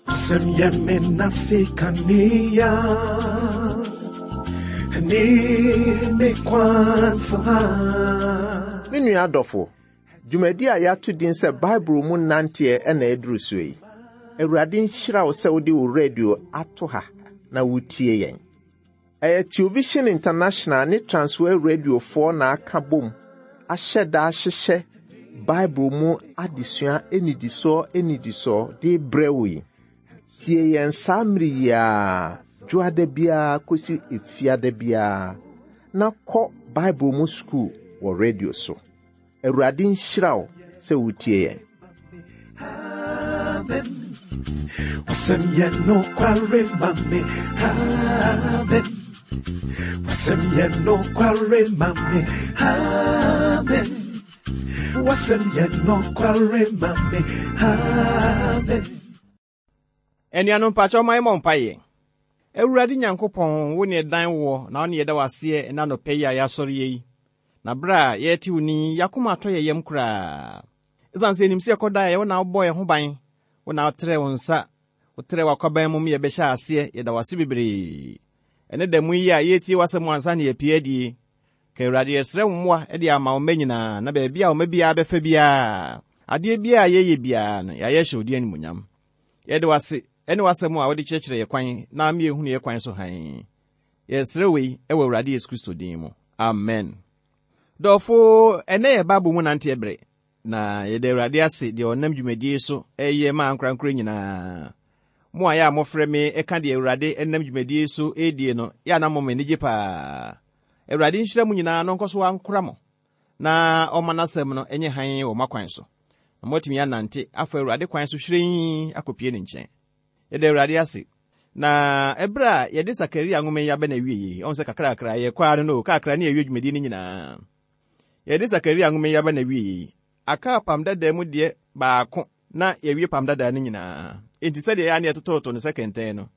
W'asɛm yɛ me nase kanea ne me kwan so. Me nua dɔfo, dwumadi a yɛato din sɛ Bible mu nanteɛ na ɛduru so yi. Awurade nhyira wo sɛ wode wo radio ato ha na wotie yɛn. Ɛyɛ Television International ne Transworld Radiofoɔ na aka bom ahyɛ da ahyehyɛ Bible mu adesua nnidisoɔ nnidisoɔ de brɛ wo yi. Tie yɛn saa mmere yi ara, dwoada biara kɔsi efiada biara, na kɔ Bible mu sukuu wɔ radio so. Awurade nhyira wo sɛ wotie yɛn. Amen. W'asɛm yɛ nokware ma me. Amen. W'asɛm yɛ nokware ma me. Amen. W'asɛm yɛ nokware ma me. Amen. Anuanom mpakyɛw ma yɛmmɔ mpaeɛ. Awurade Nyankopɔn, wo ne ɛdan woɔ, na wo ne yɛda wo aseɛ ɛna anɔpa yi a yɛasɔre yi. Na berɛ a yɛrete wo ni, yɛakoma atɔ yɛ yam koraa. Ɛsiane sɛ yɛnim sɛ yɛkɔda a, wo na wobɔ yɛn ho ban, wo na wotrɛɛ wo nsa, wotrɛɛ w'akwaban mu ma yɛbɛhyɛ aseɛ. Yɛda wo ase bebree. Ɛne da mu yi a yɛretie w'asɛm ansa na yɛapue adie. Ka Awurade, yɛsrɛ wo mmoa de ama wo mma nyinaa, na baabi a wo mma biara bɛfa biara, adeɛ biara a yɛyɛ biara no, yɛayɛ hyɛ wo din animuonyam. Yɛde wo ase ne w'asɛm a wode kyerɛkyerɛ yɛ kwan na ama yɛhunu yɛ kwan so hann. Yɛsrɛ wei wɔ Awurade Yesu Kristo din mu. Amen. Dɔfo, ɛnɛ yɛ Bible mu nanteɛ bere, na yɛda Awurade ase deɛ ɔnam dwumadie so ɛyɛ ma ankorankoro nyinaa. Mo a yɛ a mofrɛ me ɛka deɛ Awurade nam dwumadie so ɛredie no, yɛ a na mo m'ani gye paa. Awurade nhyira mo nyinaa na ɔnkɔ so ankora mo, na ɔma n'asɛm no nyɛ hann wɔ mo akwan so, na moatumi anante afa Awurade kwan so hyerɛnn akɔpie ne nkyɛn. Yɛda Awurade ase. Na ɛberɛ a yɛde Sakaria nwoma yi aba n'awie yi, ɔhu sɛ kakrakra yɛkɔ ara no no, kakra ne yɛwie dwumadie no nyinaa. Yɛde Sakaria nwoma yi aba n'awie yi, aka apam dadaa mu deɛ baako na yɛwie apam dadaa no nyinaa. Enti sɛdeɛ ɛyɛ a ne yɛtototo no sɛ kɛntɛn no,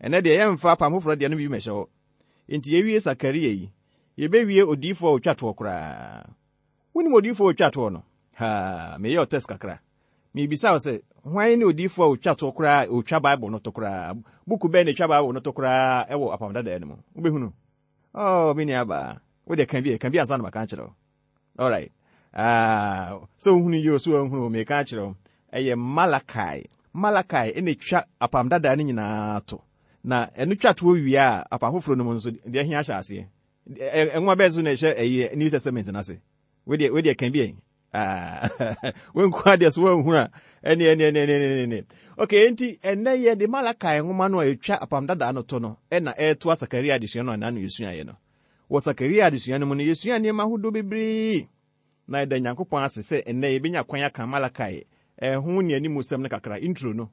ɛnɛ deɛ yɛmfa apam foforɔ deɛ no bi mmɛhyɛ hɔ. Enti yɛwie Sakaria yi, yɛbɛwie odiyifoɔ a ɔtwa toɔ koraa. Wonim odiyifoɔ a ɔtwa toɔ no? Haa, meyɛ ɔtɛs kakra. Mebisa wo sɛ, hwan ne odiyifoɔ a ɔtwa toɔ koraa a ɔtwa Bible no to koraa? Buku bɛn na ɛtwa Bible no to koraa wɔ Apam Dadaa no mu? Wobɛhunu? Oh, me nuabaa, wo deɛ ka bi, ka bi ansa na maka akyerɛ wo. Alright. Ah, sɛ wohunu yi o, sɛ woanhunu o, meka akyerɛ wo. Ɛyɛ Malachi. Malachi ɛna ɛtwa Apam Dadaa no nyinaa to. Na ɛno twa toɔ wie a, Apam Foforɔ no mu nso, deɛ ɛhe ahyɛ aseɛ? Nwoma bɛn so na ɛhyɛ ɛyɛ New Testament no ase? Wedeɛ, wedeɛ ka bi ɛ. Ah, wenku adeɛ so wanhunu a, ɛne ɛne ɛne ɛne ɛne ɛne. Okay, enti ɛnɛ yɛ de Malachi nwoma no a ɛtwa Apam Dadaa no to no ɛna ɛretoa Sakaria adesua no a n'ano yɛsuaeɛ no. Wɔ Sakaria adesua no mu no, yɛsua nneɛma ahodoɔ bebree. Na yɛda Nyankopɔn ase sɛ ɛnnɛ yɛbɛnya kwan aka Malachi ho nnianimusɛm no kakra, intro no,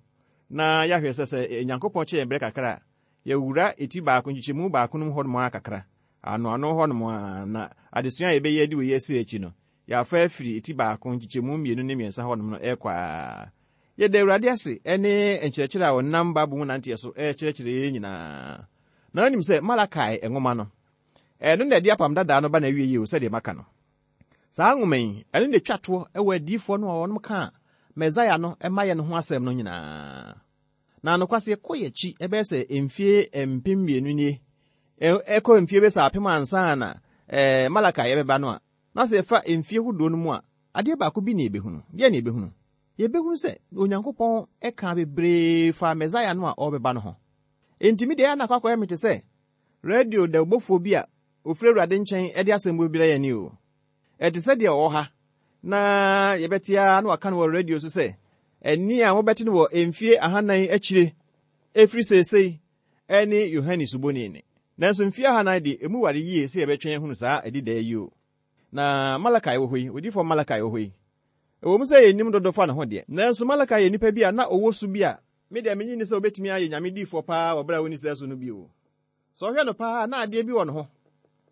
na yɛahwɛ sɛ sɛ Nyankopɔn kyɛ yɛn berɛ kakra a, yɛwura eti baako, nkyekyɛmu baako no mu hɔnom ara kakra, anoano hɔnom ara, na adesua a yɛbɛyɛ de wei asi akyi no, yɛafa afiri eti baako, nkyekyɛmu mmienu ne mmiɛnsa hɔnom no ɛrekɔ ara. Yɛda Awurade ase ne nkyerɛkyerɛ a ɔnam Bible mu nanteɛ so rekyerɛkyerɛ yɛn nyinaa. Na wonim sɛ Malakai nwoma no, ɛno na ɛde Apam Dadaa no ba n'awiei o, sɛdeɛ maka no. Saa nwoma yi, ɛno na ɛtwa toɔ wɔ adiyifoɔ no a wɔnom kaa Mesaia no mmayɛ no ho asɛm no nyinaa. Na nokwasɛ yɛkɔ yɛn akyi ɛbɛyɛ sɛ mfie 2000 nie, ɛkɔ mfie bɛyɛ sɛ apem ansa na Malakai ɛbɛba no a, na sɛ yɛfa mfie hodoɔ no mu a, adeɛ baako bi na yɛbɛhunu. Deɛ na yɛbɛhunu? Yɛbɛhunu sɛ Onyankopɔn kaa bebree faa Mesaia no a ɔrebɛba no ho. Enti me deɛ ɛyɛ a na akɔ akɔyɛ me te sɛ radio dawubɔfoɔ bi a ɔfiri Awurade nkyɛn de asɛm bi brɛ yɛn o. Ɛte sɛ deɛ ɔwɔ ha na yɛbɛte ara na waka no wɔ radio so sɛ, ɛnne a mobɛte no wɔ mfie ahanan akyire ɛfiri seesei ɛne Yohane Suboni nne. Nanso mfie ahanan de, emu ware yie sɛ yɛbɛtwɛn ahunu saa adidaa yi o. Na Malakai wɔ hɔ yi, odiyifoɔ Malakai wɔ hɔ yi. Ɛwɔ mu sɛ yɛnnim dodo fa ne ho deɛ, nanso Malakai yɛ nipa bi a na ɔwɔ su bi a me deɛ mennye nni sɛ ɔbɛtumi ayɛ Nyame diyifoɔ paa wɔ berɛ a ɔnni saa su no bi o. Sɛ ɔhwɛ no paa a, na adeɛ bi wɔ ne ho.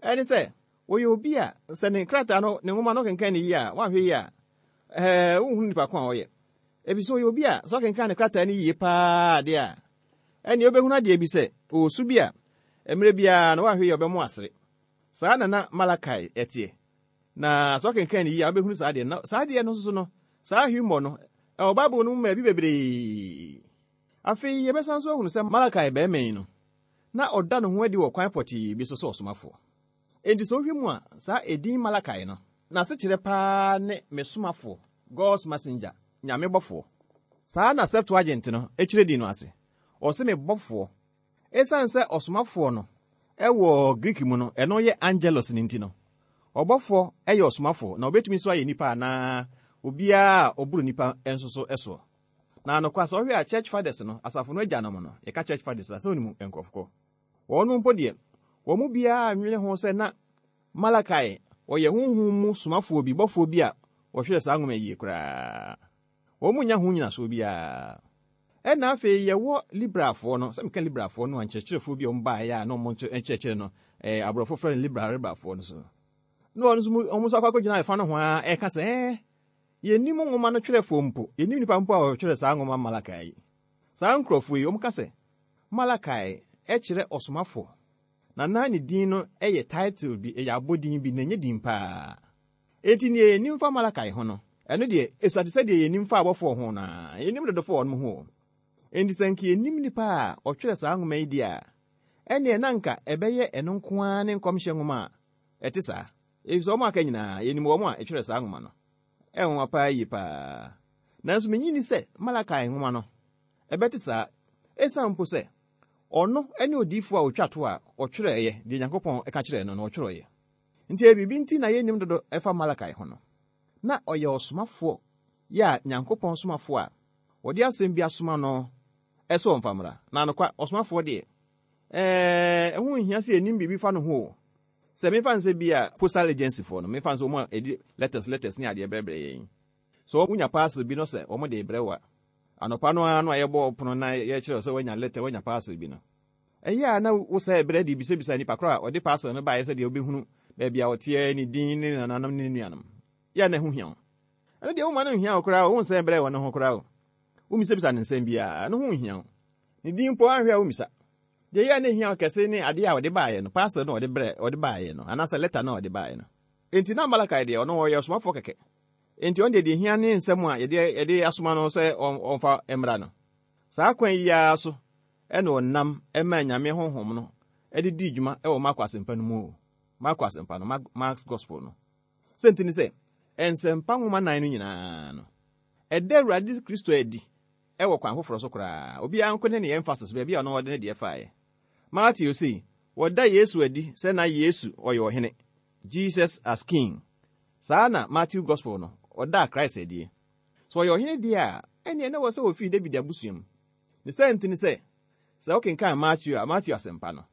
Ɛne sɛ, ɔyɛ obi a sɛ ne krataa no, ne nwoma no wokenkan no yie a, woanhwɛ yie a, ɛɛ, wonhunu nipa ko a ɔyɛ. Ɛfiri sɛ ɔyɛ obi a sɛ ɔkenkan ne krataa no yie paa deɛ a, ɛnneɛ wobɛhunu adeɛ bi sɛ, ɔwɔ su bi a mmerɛ biara no woanhwɛ yie a ɔbɛmo asere. Saa na na Malakai teɛ. Na sɛ ɔkenkan no yie a, wobɛhunu saa adeɛ no. Na saa adeɛ no nso so no, saa humor no, ɛwɔ Bible no mu baabi bebree. Afei yɛbɛsan nso ahunu sɛ Malakai barima yi no, na ɔda ne ho adi wɔ kwan pɔtee bi so sɛ ɔsomafoɔ. Enti sɛ wohwɛ mu a, saa edin Malakai no, n'asekyerɛ paa ne me somafoɔ, God's messenger, Nyame bɔfoɔ. Saa na Septuagint no kyerɛ din no ase. Ɔse me bɔfoɔ. Esiane sɛ ɔsomafoɔ no wɔ Greek mu no, ɛno yɛ angelos no nti no, ɔbɔfoɔ yɛ ɔsomafoɔ, na ɔbɛtumi nso ayɛ nipa anaa obiara a ɔboro nipa nso so soɔ. Na nokwa sɛ wohwɛ a Church Fathers no, asafo no agyanom no, yɛka Church Fathers a, sɛ wonim nkurɔfo kɔ. Wɔnom mpo deɛ, wɔn mu biara nnwene ho sɛ na Malakai ɔyɛ honhom mu somafoɔ bi, bɔfoɔ bi a ɔhwerɛ saa nwoma yi yie koraa. Wɔn nnya ho nnyinasoɔ biara. Ɛna afei yɛwɔ Liberalfoɔ no, sɛ meka Liberalfoɔ no a, nkyerɛkyerɛfoɔ bi a wɔn baeɛ a na wɔn nkyerɛkyerɛ no, aborɔfo frɛ no Liberal, Liberalfoɔ no so. Na wɔn nso, wɔn nso akɔ akɔgyina ɛfa no ho ara ɛka sɛ, ɛɛ, yɛnnim nwoma no twerɛfoɔ mpo, yɛnnim nipa mpo a ɔtwerɛ saa nwoma Malakai yi. Saa nkurɔfoɔ yi, wɔka sɛ Malakai kyerɛ ɔsomafoɔ, na na ne din no yɛ title bi, ɛyɛ abɔdin bi, na ɛnyɛ din paa. Enti nea yenim fa Malakai ho no, ɛno deɛ, esua te sɛ deɛ yenim fa abɔfoɔ ho no ara. Yennim dodo fa wɔn ho o. Enti sɛ anka yenim nipa a ɔtwerɛ saa nwoma yi deɛ a, ɛnneɛ na anka ɛbɛyɛ ɛno nko ara ne nkɔmhyɛ nwoma a ɛte saa, efisɛ wɔn a aka nyinaa, yenim wɔn a ɛtwerɛ saa nwoma no. Ɛyɛ nwonwa paa yiye paa. Nanso minnye nni sɛ Malakai nwoma no, ɛbɛte saa, esiane mpo sɛ ɔno ne odiyifo a otwa to a ɔtwerɛeɛ deɛ Nyankopɔn ka kyerɛɛ no no, ɔtwerɛeɛ. Nti ɛyɛ biribi nti na yennim dodo ɛfa Malakai ho no. Na ɔyɛ ɔsomafoɔ yɛ a Nyankopɔn somafoɔ a wɔde asɛm bi asoma no sɛ ɔmfa mmra. Na anokwa, ɔsomafoɔ deɛ, ɛɛ, ɛho nhia sɛ yɛnim biribi fa no ho o. Sɛ memfa no sɛ bi a postal agency foɔ no, memfa no sɛ wɔn a ɛde letters letters ne adeɛ brɛbrɛ yɛn. Sɛ wonya parcel bi no sɛ wɔn de rebrɛ wo a, anɔpa no ara no a yɛbɔ pono na yɛkyerɛ wo sɛ woanya letter, woanya parcel bi no, Ɛyɛ a na wosɛe bere de bisabisa nipa koro a ɔde parcel no bae sɛdeɛ wobɛhunu baabi a ɔteɛ, ne din, ne nananom ne ne nuanom. Yɛ a na ɛho hia wo. Ɛno deɛ womma no nhia wo koraa o, wonsɛe bere wɔ ne ho koraa o. Wommisabisa no nsɛm biara, ɛno ho nhia wo. Ne din mpo anhwɛ a wommisa. Deɛ ɛyɛ a na ɛhia wo kɛse ne adeɛ a ɔde baeɛ no, parcel no a ɔde brɛ, ɔde baeɛ no, anaasɛ lɛta no a ɔde baeɛ no. Enti na Malakai deɛ, ɔno ɔyɛ ɔsomafoɔ kɛkɛ. Enti ɔno deɛ deɛ ɛhia ne nsɛm a yɛde, yɛde asoma no sɛ ɔmfa mmra no. Saa kwan yi ara so na ɔnam maa Nyame honhom no de dii dwuma wɔ Marko Asɛmpa no mu o, Marko Asɛmpa no, Mark's Gospel no. Sɛ nti ne sɛ, Nsɛmpa nwoma nan no nyinaa no, ɛda Awurade Kristo adi wɔ kwan foforɔ so koraa. Obiara nko ne ne emphasis, baabi a ɔno ɔde ne deɛ faeɛ. Mateo sei, wɔda Yesu adi sɛ na Yesu ɔyɛ ɔhene, Jesus as King. Saa na Matthew Gospel no, ɔdaa Christ adie. Sɛ ɔyɛ ɔhene deɛ a, ɛnneɛ na ɛwɔ sɛ ɔfiri David abusua mu. Ne saa nti ne sɛ, sɛ wokenkan Mateo a, Mateo Asɛmpa no,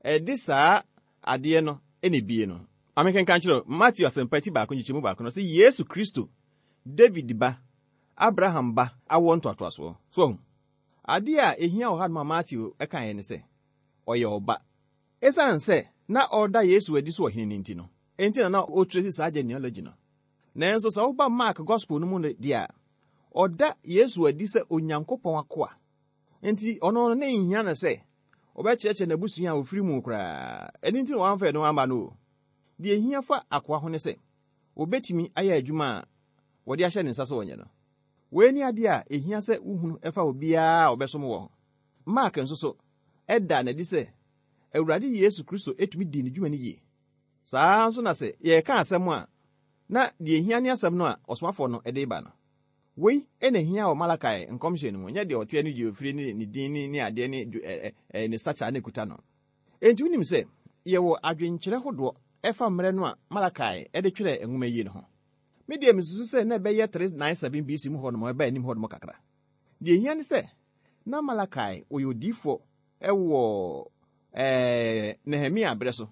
ɛde saa adeɛ no na ebie no. Ma menkenkan nkyerɛ wo, Mateo Asɛmpa ti baako nkyekyɛmu baako no, ɔse, Yesu Kristo, David ba, Abraham ba awoɔ ntoatoasoɔ. So wahu? Adeɛ a ɛhia wɔ hanom a Mateo kaeɛ ne sɛ, ɔyɛ ɔba. Esiane sɛ na ɔreda Yesu adi sɛ ɔhene no nti no, enti na na ɔretresi saa genealogy no. Nanso sɛ woba Mark Gospel no mu deɛ a, ɔda Yesu adi sɛ Onyankopɔn akoa. Enti ɔno no, na enhia no sɛ ɔbɛkyerɛkyerɛ n'abusua a ofiri mu koraa. Ɛno nti na wamfa ɛno amma no o. Deɛ ehia fa akoa ho ne sɛ obetumi ayɛ adwuma a wɔde ahyɛ ne nsa sɛ ɔnyɛ no. Wei ne adeɛ a ehia sɛ wohunu fa obiara a ɔbɛsom wɔ ho. Mark nso so da no adi sɛ Awurade Yesu Kristo tumi dii ne dwuma no yie. Saa ara nso na sɛ yɛreka asɛm a, na deɛ ehia ne asɛm no a ɔsomafoɔ no de reba no. Wei na ehia wɔ Malakai nkɔmhyɛ no mu, ɛnyɛ deɛ ɔteɛ ne deɛ ɔfiri ne ne din ne ne adeɛ ne ne stature a na ɛkuta no. Enti wonim sɛ yɛwɔ adwenkyerɛ hodoɔ ɛfa mmerɛ no a Malakai de twerɛɛ nwoma yi no ho. Me deɛ mesusu sɛ na ɛbɛyɛ 397 BC mu hɔ nom, ɛba anim hɔ nom kakra. Deɛ ehia ne sɛ na Malakai ɔyɛ odiyifoɔ wɔ Nehemia berɛ so,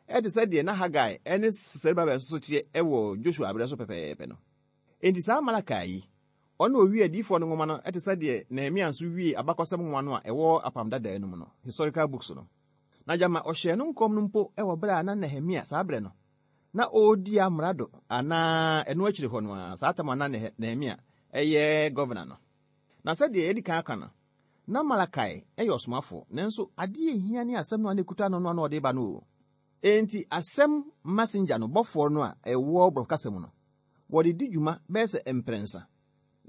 te sɛ deɛ na Hagai ne Serubabel nso so teɛ wɔ Joshua berɛ so pɛpɛɛpɛ no. Enti saa Malakai yi, ɔno na ɔwiee adiyifoɔ no nwoma no te sɛ deɛ Nehemia nso wiee abakɔsɛm nwoma no a ɛwɔ Apam Dadaa no mu no, historical books no. Na gyama ɔhyɛɛ no nkɔm no mpo wɔ berɛ a na Nehemia, saa berɛ no, na ɔredi amrado anaa ɛno akyiri hɔ no ara, saa tam a na Nehemia yɛ gɔvena no. Na sɛdeɛ yɛadi kan aka no, na Malakai yɛ ɔsomafoɔ, nanso adeɛ a ɛhia ne asɛm no a na ɛkuta no no a na ɔde reba no o. Enti asɛm messenger no, bɔfoɔ no a ɛwɔ borɔfo kasa mu no, wɔde di dwuma bɛyɛ sɛ mprɛnsa.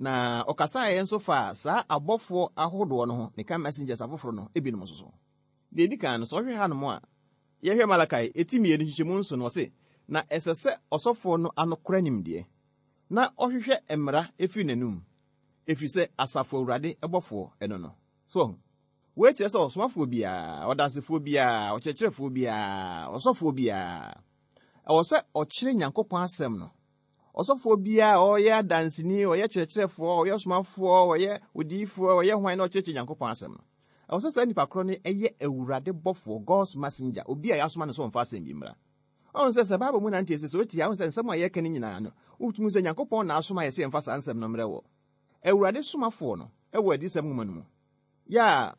Na ɔkasaeɛ nso faa saa abɔfoɔ ahodoɔ no ho, meka messengers afoforɔ no ebinom nso so. Deɛ edi kan no, sɛ ɔhwɛ hanom a, yɛhwɛ Malakai eti 2 nkyekyɛmu 7 no, ɔse, na ɛsɛ sɛ ɔsɔfoɔ no ano kora nimdeɛ, na ɔhwehwɛ mmara efiri n'anum, ɛfiri sɛ asafo Awurade bɔfoɔ ɛno no. So, wei kyerɛ sɛ ɔsomafoɔ biara, ɔdansefoɔ biara, ɔkyerɛkyerɛfoɔ biara, ɔsɔfoɔ biara, ɛwɔ sɛ ɔkyerɛ Nyankopɔn asɛm no. Ɔsɔfoɔ biara a ɔyɛ adanseni, ɔyɛ kyerɛkyerɛfoɔ, ɔyɛ ɔsomafoɔ, ɔyɛ odiyifoɔ, ɔyɛ hwan na ɔkyerɛkyerɛ Nyankopɔn asɛm no. Ɛwɔ sɛ saa nipa korɔ no ɛyɛ Awurade bɔfoɔ, God's messenger, obi a yɛasoma no sɛ ɔmfa asɛm bi mmra. Ɔhu sɛ sɛ Bible mu nante sɛ sɛ otie a, ɔhu sɛ nsɛm a yɛka no nyinaa no, wotumi sɛ Nyankopɔn na asoma yɛ sɛ yɛmfa saa nsɛm no mmrɛ wɔ. Awurade somafoɔ no ɛwɔ adiyisɛm nwoma no mu. Yɛ a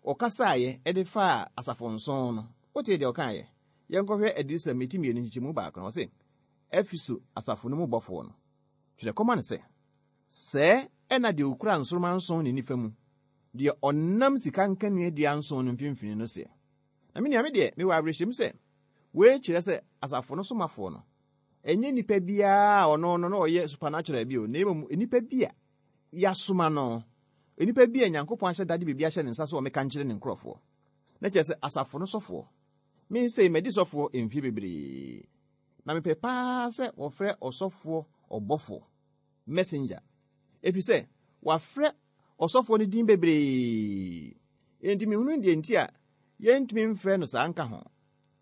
ɔkasaeɛ ɛde faa asafo nson no, wotee deɛ ɔkaeɛ? Yɛnkɔhwɛ adiyisɛm eti 2 nkyekyɛmu 1 no, ɔse, Efeso asafo no mu bɔfoɔ no, twerɛ kɔma no sɛ, sɛɛ ɛna deɛ okura nsoromma nson ne nifa mu, deɛ ɔnam sika nkaneadua nson no mfimfini no seɛ. Na me nua, me deɛ, mewɔ awerɛhyɛmu sɛ, wei kyerɛ sɛ asafo no somafoɔ no, ɛnyɛ nipa biara a ɔno no na ɔyɛ supernatural bi o, na mmom nipa bi a yɛasoma no, nipa bi a Nyankopɔn ahyɛ dade biribi ahyɛ ne nsa sɛ ɔmmɛka nkyerɛ ne nkurɔfoɔ. Na kyerɛ sɛ asafo no sɔfoɔ. Me sei, madi sɔfoɔ mfie bebree. Na mepɛ paa sɛ wɔfrɛ ɔsɔfoɔ ɔbɔfoɔ, messenger. Ɛfiri sɛ, wɔafrɛ ɔsɔfoɔ no din bebree. Enti mehunu deɛ nti a yɛntumi mfrɛ no saa nka ho.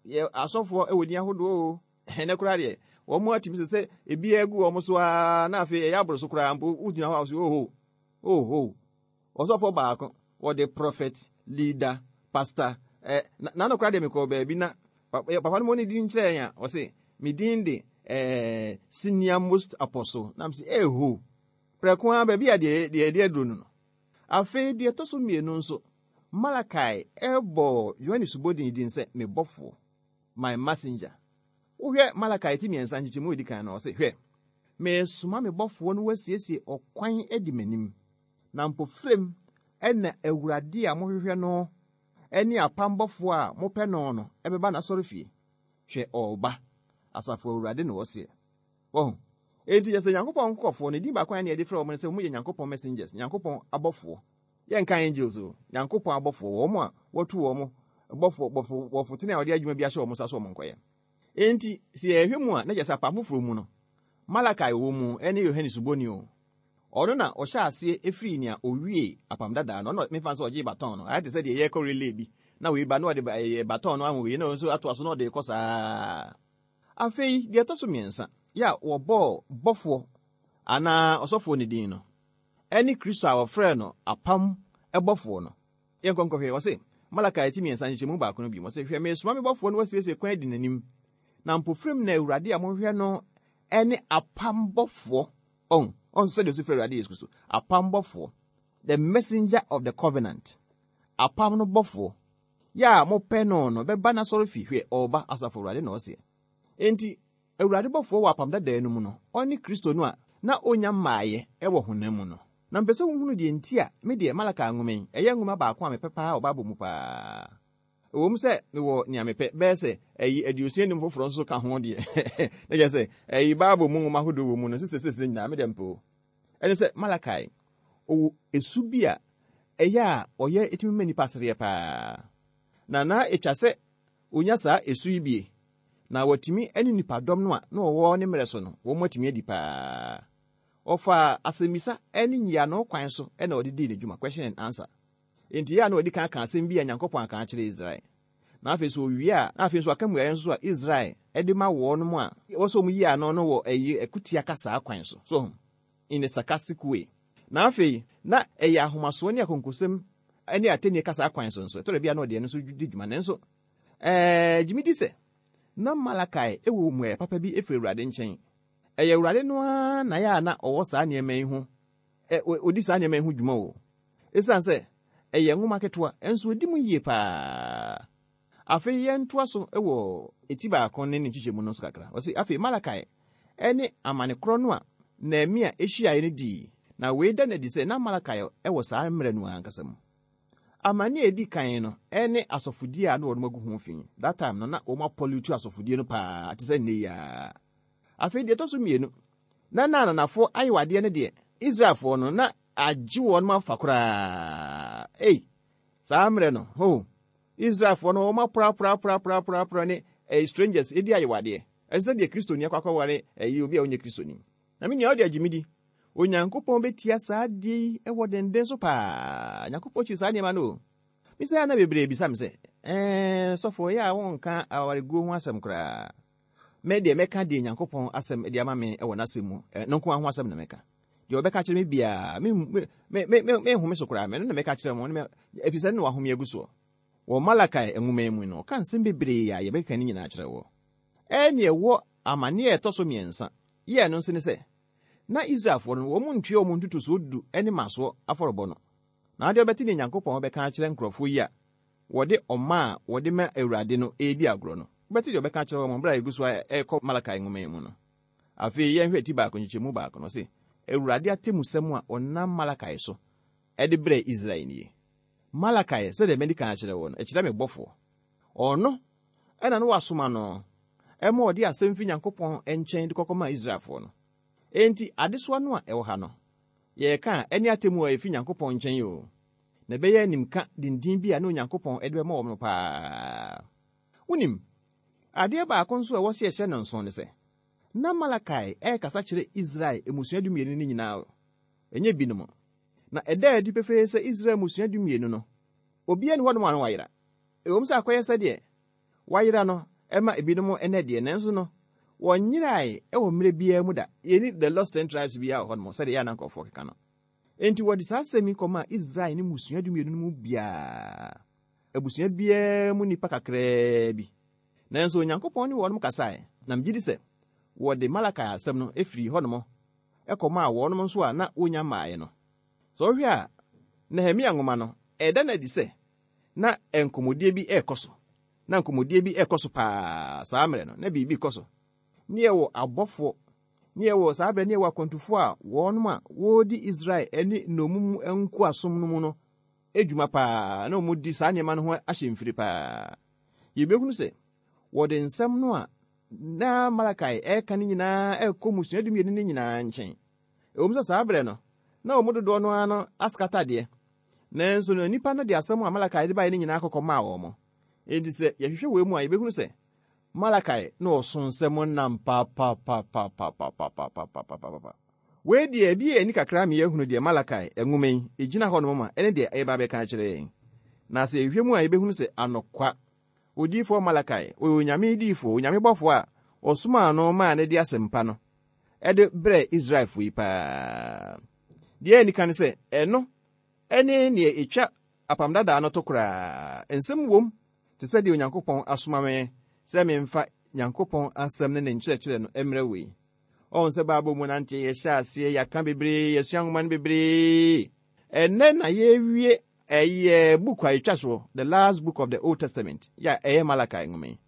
Yɛ asɔfoɔ wɔ din ahodoɔ o. Ɛnɛ koraa deɛ, wɔn mu atumi sɛ sɛ ebi agu wɔn so ara na afei ɛyɛ aboro so koraa mpo wogyina hɔ a wɔsɛ oho, oho. Ɔsɔfoɔ baako, wɔde prophet, leader, pastor, na no koraa deɛ mekɔɔ baabi na papa no mu ne din kyerɛ yɛn a, ɔse, me din de senior most apostle. Na mese, eho, prɛko ara baabi a deɛ yɛde aduro no no. Afei deɛ ɛtɔ so 2 nso, Malakai ɛbɔ Yohane Suboni din sɛ me bɔfoɔ, my messenger. Wohwɛ Malakai ti 3 nkyekyɛmu edi kan no, ɔse, hwɛ, mesoma me bɔfoɔ no wasiesie ɔkwan adi m'anim, na mpofirem ɛna Awurade a mohwehwɛ no ɛne apam bɔfoɔ a mopɛ no no ɛbɛba n'asɔrefie. Hwɛ, ɔreba, asafo Awurade na ɔseɛ. Wɔho, enti yɛ sɛ Nyankopɔn nkurɔfoɔ no, din baako a yɛde frɛ wɔn no sɛ wɔn yɛ Nyankopɔn messengers, Nyankopɔn abɔfoɔ. Yɛnka angels o, Nyankopɔn abɔfoɔ, wɔn a wɔtu wɔn bɔfoɔ, bɔfoɔ, bɔfoɔ tene a wɔde adwuma bi ahyɛ wɔn nsa so wɔn nkɔyɛ. Enti, sɛ yɛhwɛ mu a, na kyerɛ sɛ apam foforɔ mu no, Malakai wɔ mu ɛne Yohane Suboni o. Ɔno na ɔhyɛ aseɛ efiri nea owie apam dadaa no, ɔno mefa sɛ ɔgye baton no, ayɛ te sɛ deɛ yɛkɔ relay bi, na wei ba na ɔde baton no aho wei, na ɔno nso atoa so na ɔde kɔ saa. Afei, deɛ ɛtɔ so 3, yɛ a wɔbɔɔ bɔfoɔ anaa ɔsɔfoɔ ne din no, ɛne Kristo a wɔfrɛɛ no apam bɔfoɔ no. Yɛnkɔ nkɔhwɛ, ɔse, Malakai ti 3 nkyekyɛmu 1 no bi, ɔse, hwɛ, mesoma me bɔfoɔ no wasiesie kwan adi n'anim, na mpofirim na Awurade a mohwehwɛ no ɛne apam bɔfoɔ. Ɔn, ɔn sɛdeɛ ɔsi frɛ Awurade Yesu Kristo, apam bɔfoɔ, the messenger of the covenant, apam no bɔfoɔ, yɛ a mopɛ no no bɛba n'asɔrefie, hwɛ, ɔreba, asafo Awurade na ɔseɛ. Enti, Awurade bɔfoɔ wɔ apam dadaa no mu no, ɔne Kristo no a na onya mmaeɛ wɔ honam mu no. Na mepɛ sɛ wohunu deɛ nti a me deɛ Malakai nwoma yi, ɛyɛ nwoma baako a mepɛ paa wɔ Bible mu paa. Ɛwɔ mu sɛ mewɔ nea mepɛ, bɛyɛ sɛ ɛyi 65 foforɔ nso ka ho deɛ, na kyerɛ sɛ ɛyi Bible mu nwoma ahodoɔ wɔ mu no, sisi sisi nyinaa me deɛ mpɛ o. Ɛne sɛ Malakai, ɔwɔ esu bi a ɛyɛ a ɔyɛ ɛtumi ma nipa sereɛ paa. Na na ɛtwa sɛ onya saa esu yi bie, na watumi ne nipadɔm no a na wɔwɔ ne mmerɛ so no, wɔn atumi adi paa. Ɔfaa asɛmmisa ne nyiano kwan so na ɔde dii ne dwuma, question and answer. Enti yɛ a na ɔdi kan aka asɛm bi a Nyankopɔn aka akyerɛ Israel. Na afei so owie a, na afei nso aka mmuaeɛ nso a Israel de ma wɔn a wɔsɛ wɔn yi ano no wɔ ɛyi akutia kasaa kwan so. So, in a sarcastic way. Na afei, na ɛyɛ ahomasoɔ ne akonkosɛm ne atɛnnie kasaa kwan so nso. Ɛtɔ da bi a na ɔde ɛno nso di dwuma. Nanso, gye me di sɛ, na Malakai wɔ mmuaeɛ papa bi firi Awurade nkyɛn. Ɛyɛ Awurade no ara na yɛ a na ɔwɔ saa nneɛma yi ho, ɔdi saa nneɛma yi ho dwuma o. Esiane sɛ ɛyɛ nwoma ketewa, nso odi mu yie paa. Afei yɛntoa so wɔ eti 1 ne ne nkyekyɛmu no nso kakra. Ɔse, afei Malakai ne amane korɔ no a Nehemia hyiaeɛ no dii, na wei da no adi sɛ na Malakai wɔ saa mmerɛ no ankasa mu. Amanneɛ a ɛdi kan no ne asɔfodie a na wɔnom agu ho fi. That time no na wɔn apɔlutu asɔfodie no paa te sɛ nnɛ yi ara. Afei deɛ ɛtɔ so mmienu, na na ananafoɔ ayewadeɛ no deɛ, Israelfoɔ no na agye wɔn afa koraa. Ei, saa mmerɛ no, ho, Israelfoɔ no wɔn aporaporaporaporaporaporaporaa ne eh, strangers ɛdi ayewadeɛ. Ɛsɛ sɛ deɛ Kristoni akɔ akɔware ɛyi obi a ɔnyɛ Kristoni. Na me nua wode agye me di. Onyankopɔn bɛtia saa adeɛ yi wɔ denden so paa. Nyankopɔn kyiri saa nneɛma no o. Misa na bebree bisa me sɛ, ɛɛ sɔfo ɛyɛ a wonka awareguo ho asɛm koraa. Me deɛ mɛka deɛ Nyankopɔn asɛm de ama me wɔ n'asɛm mu, no nko ara ho asɛm na mɛka. Deɛ ɔbɛka kyerɛ me biara, me me me me menhome so koraa, mɛno na mɛka kyerɛ mo, ɛfiri sɛ ne na wahome agu soɔ. Wɔ Malakai nwoma yi mu no, ɔka nsɛm bebree a yɛbɛkeka ne nyinaa akyerɛ wɔ. Ɛnneɛ wɔ amanneɛ a ɛtɔ so mmiɛnsa yɛɛ no nso ne sɛ, na Israelfoɔ no, wɔn ntua wɔn ntotosoɔ du ne mmasoɔ afɔrebɔ no. Na adeɛ wobɛte deɛ Nyankopɔn bɛka akyerɛ nkurɔfoɔ yi a wɔde ɔma a wɔde ma Awurade no redi agorɔ no. Wobɛte deɛ ɔbɛka akyerɛ wɔn berɛ a yɛgu so a ɛrekɔ Malakai nwoma yi mu no. Afei yɛnhwɛ ti baako nkyekyɛmu baako no, ɔse, Awurade atemmusɛm a ɔnam Malakai so de brɛɛ Israel nie. Malakai, sɛdeɛ madi kan akyerɛ wo no, ɛkyerɛ me bɔfoɔ. Ɔno na na wɔasoma no ma ɔde asɛm fi Nyankopɔn nkyɛn de kɔkɔmaa Israelfoɔ no. Enti adesoa no a ɛwɔ ha no, yɛreka a, ɛne atemmu a efi Nyankopɔn nkyɛn oo, na ɛbɛyɛ animka denden bi a na Onyankopɔn de bɛma wɔn no paa. Wunim, adeɛ baako nso a ɛwɔ sɛ yɛhyɛ no nsow ne sɛ, na Malakai rekasa kyerɛ Israel mmusua dumienu no nyinaa o, ɛnyɛ binom. Na ɛda adi pefee sɛ Israel mmusua dumienu no, obiara nni hɔnom a na wayera. Ɛwom sɛ akɔyɛ sɛdeɛ wɔayera no ma ebinom nnɛ deɛ, nanso no, wɔnyerae wɔ mmerɛ biara mu da. Yɛnni The Lost Ten Tribes biara wɔ hɔnom sɛdeɛ ɛyɛ a na nkurɔfoɔ keka no. Enti wɔde saa asɛm yi kɔmaa Israel ne mmusua dumienu no mu biara, abusua biara mu nnipa kakraa bi. Nanso Onyankopɔn ne wɔnom kasae, na megye di sɛ wɔde Malakai asɛm no firii hɔnom kɔmaa wɔnom nso a na wɔnnya mmaeɛ no. Sɛ wohwɛ a, Nehemia nwoma no, ɛda no adi sɛ na nkɔmmɔdie bi rekɔ so. Na nkɔmmɔdie bi rekɔ so paa saa mmerɛ no, na biribi rekɔ so. Ne yɛwɔ abɔfoɔ, ne yɛwɔ saa berɛ ne yɛwɔ akwantufoɔ a wɔnom a wɔredi Israel ne nnommum nkoasom no mu no adwuma paa, na wɔdi saa nneɛma no ho ahyɛmfiri paa. Yɛbɛhunu sɛ wɔde nsɛm no a na Malakai reka no nyinaa rekɔ mmusua dumienu no nyinaa nkyɛn. Ɛwom sɛ saa berɛ no, na wɔn mu dodoɔ no ara no askata deɛ, nanso no nnipa no de asɛm a Malakai de baeɛ no nyinaa kɔkɔ maa wɔn. Enti sɛ yɛhwehwɛ wei mu a, yɛbɛhunu sɛ Malakai na ɔso nsɛm nam papapapapapapapapapapa. Wei deɛ, ebi yɛ ani kakra ma yɛahunu deɛ Malakai nwoma yi gyina hɔnom ma ɛne deɛ ɛreba abɛka akyerɛ yɛn. Na sɛ yɛhwehwɛ mu a, yɛbɛhunu sɛ anokwa, odiyifoɔ Malakai, ɔyɛ Onyame diyifoɔ, Onyame bɔfoɔ a ɔsomaa no maa no de asɛmpa no de brɛɛ Israelfoɔ yi paa. Deɛ ɛni kan ne sɛ, ɛno ne deɛ ɛtwa Apam Dadaa no to koraa. Nsɛm wom te sɛ deɛ Onyankopɔn asoma me sɛ memfa Nyankopɔn asɛm ne ne nkyerɛkyerɛ no mmrɛ wo yi. Ɔhu sɛ Bible mu nanteɛ yɛhyɛ aseɛ, yɛaka bebree, yɛasua nwoma no bebree. Ɛnnɛ na yɛrewie ɛyɛ book a ɛtwa soɔ, the last book of the Old Testament, yɛ a ɛyɛ Malachi nwoma yi.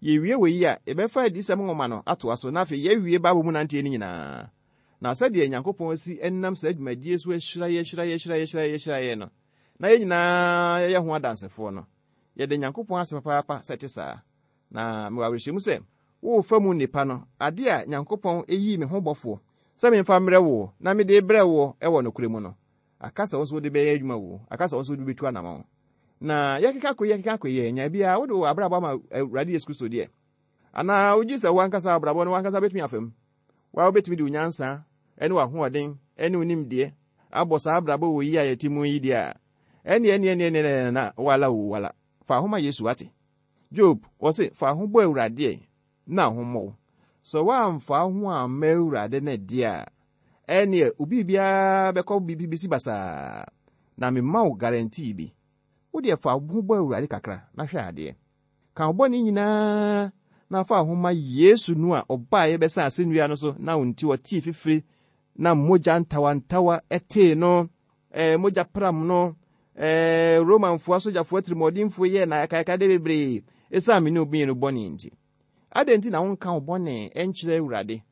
Yɛwie wɔ yi a, yɛbɛfa Adiyisɛm nwoma no atoa so, na afei yɛawie Bible mu nanteɛ no nyinaa. Na sɛdeɛ Nyankopɔn asi nam saa dwumadie so ahyira yɛ, ahyira yɛ, ahyira yɛ, ahyira yɛ, ahyira yɛ no, na yɛn nyinaa yɛyɛ ho adansefoɔ no, yɛda Nyankopɔn ase papaapa sɛ ɛte saa. Na mewɔ awerɛhyɛmu sɛ, worefa mu nnepa no, adeɛ a Nyankopɔn yii me ho bɔfoɔ sɛ memfa mmrɛ woɔ na mede rebrɛ woɔ wɔ nokorɛ mu no, aka sɛ wo nso wode bɛyɛ adwuma o, aka sɛ wo nso wode bɛtu anamɔn. Na yɛkeka kɔ yi, yɛkeka kɔ yi, nya biara wode wo abrabɔ ama Awurade Yesu Kristo deɛ? Anaa wogye sɛ wo ankasa abrabɔ no w'ankasa bɛtumi afa mu? Woa wobɛtumi de wo nyansa ne w'ahoɔden ne wo nimdeɛ abɔ saa abrabɔ wɔ yi a yɛte mu yi deɛ a, ɛnneɛ ɛnneɛ ɛnneɛ ɛnneɛ na wala o wala. Fa ho ma Yesu wate. Job, wɔse, fa ho bɔ Awurade ɛ, na ho mmɔ wo. Sɛ woamfa wo ho amma Awurade no deɛ a, ɛnneɛ wo biribiara bɛkɔ bisi basaa. Na mema wo guarantee bi. Wo deɛ fa wo ho bɔ Awurade kakra na hwɛ adeɛ. Ka wo bɔne nyinaa na fa wo ho ma Yesu no a ɔbaeɛ bɛsan asɛnnua no so na wo nti ɔtee fifire na mogya ntawantawa tee no, ɛɛ mogya pram no, ɛɛ Romanfoɔ asogyafoɔ atirimuɔdenfoɔ yɛɛ no ayakayakadeɛ bebree ɛsiane me ne wo mmienu bɔne nti. Adɛn nti na wonka wo bɔne nkyerɛ Awurade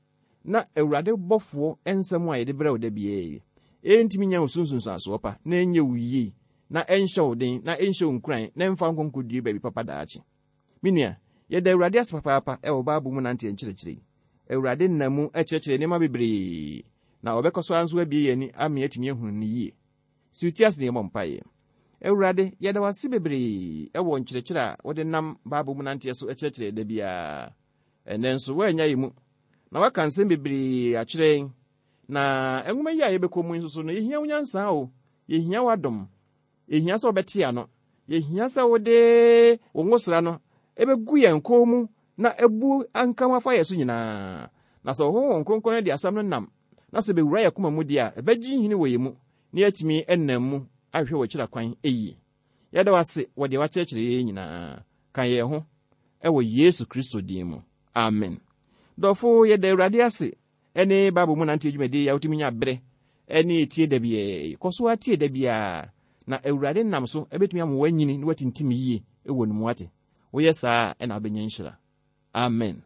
na Awurade bɔfoɔ nsɛm a yɛde brɛ wo da biara yi ɛntumi nya wo so nsunsuansoɔ pa na ɛnyɛ wo yie? na ɛnhyɛ wo den na ɛnhyɛ wo nkuran na ɛmfa wo nkɔ nkɔdue baabi papa daakye. Me nua, yɛda Awurade ase papaapa wɔ Bible mu nanteɛ nkyerɛkyerɛ yi. Awurade nam mu kyerɛkyerɛ nneɛma bebree, na ɔbɛkɔ so ara nso abue yɛn ani ama yɛatumi ahunu no yie. Si wo ti ase na yɛmmɔ mpaeɛ. Awurade, yɛda wo ase bebree wɔ nkyerɛkyerɛ a wode nam Bible mu nanteɛ so kyerɛkyerɛ da biara. Ɛnnɛ nso, woannya yɛn mu, na woaka nsɛm bebree akyerɛ yɛn. Na nwoma yi a yɛbɛkɔ mu yi nso so no, yɛhia wo nyansa o, yɛhia w'adom, yɛhia sɛ wobɛte ano, yɛhia sɛ wode wo ngosra no ɛbɛgu yɛn kɔn mu na abu anka ho afa yɛn so nyinaa. Na sɛ Honhom Kronkron no de asɛm no nam na sɛ bɛwura yɛn koma mu deɛ a, ɛbɛgye nhini wɔ yɛn mu na yɛatumi nam mu ahwehwɛ w'akyira kwan yie. Yɛda wo ase wɔ deɛ woakyerɛkyerɛ yɛn nyinaa. Ka yɛn ho wɔ Yesu Kristo din mu. Amen. Dɔfo, yɛda Awurade ase ne Bible mu nante adwumadi yi a wotumi nya bere ne etie da biara yi. Kɔ so ara tie da biara, na Awurade nam so ebetumi ama woanyini na woatintim yie wɔ ne mu ate. Woyɛ saa a, ɛna wobɛnya nhyira. Amen.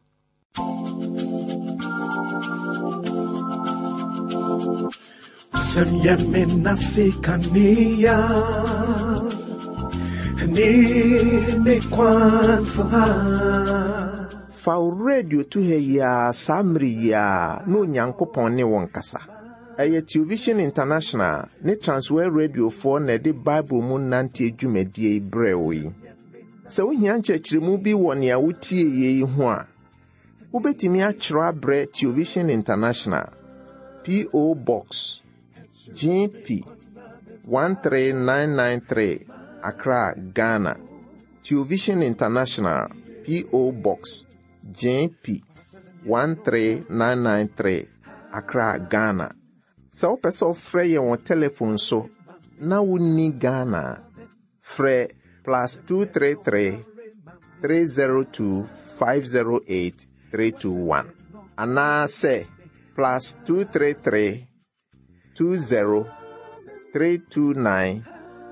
Sɛm yɛ me nase kanea ne me kwan so ha. Fa wo radio to ha yi ara saa mmere yi ara na Onyankopɔn ne wo nkasa. Ɛyɛ Television International ne Transworld Radiofoɔ na ɛde Bible mu nanteɛ dwumadie yi brɛɛ wo yi. Sɛ wohia nkyerɛkyerɛmu bi wɔ nea wotie yi ho a, wobɛtumi akyerɛw abrɛ Television International, P.O. Box, GP 13993, Accra, Ghana. Television International, P.O. Box, GP 13993, Accra, Ghana. Sɛ wopɛ sɛ wofrɛ yɛn wɔ telefon so na wonni Ghana a, frɛ plus 233 302 508 321 anaasɛ plus 233 20 329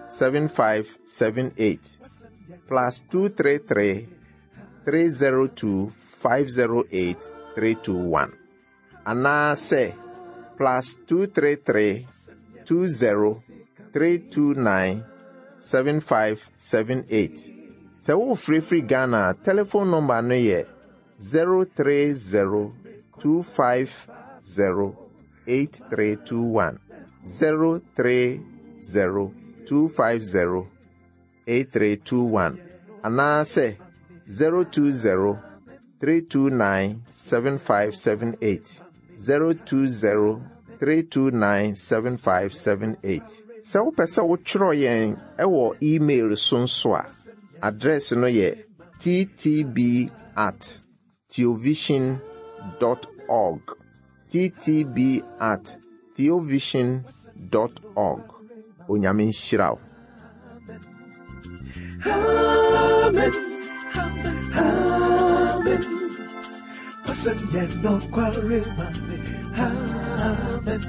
7578 plus 233 302 508 321 anaasɛ plus 233 20 329 7578. Sɛ wofirifiri Ghana a, telephone number no yɛ 030 250 8321. 030 250 8321 anaasɛ 020 329 7578. 020 329 7578. Sɛ wopɛ sɛ wotwerɛ yɛn wɔ email so nso a, address no yɛ ttb at theovision dot org. ttb at theovision dot org. Onyame nhyira wo. Amen. Amen. Wasɛm yɛ nokware ma me. Amen.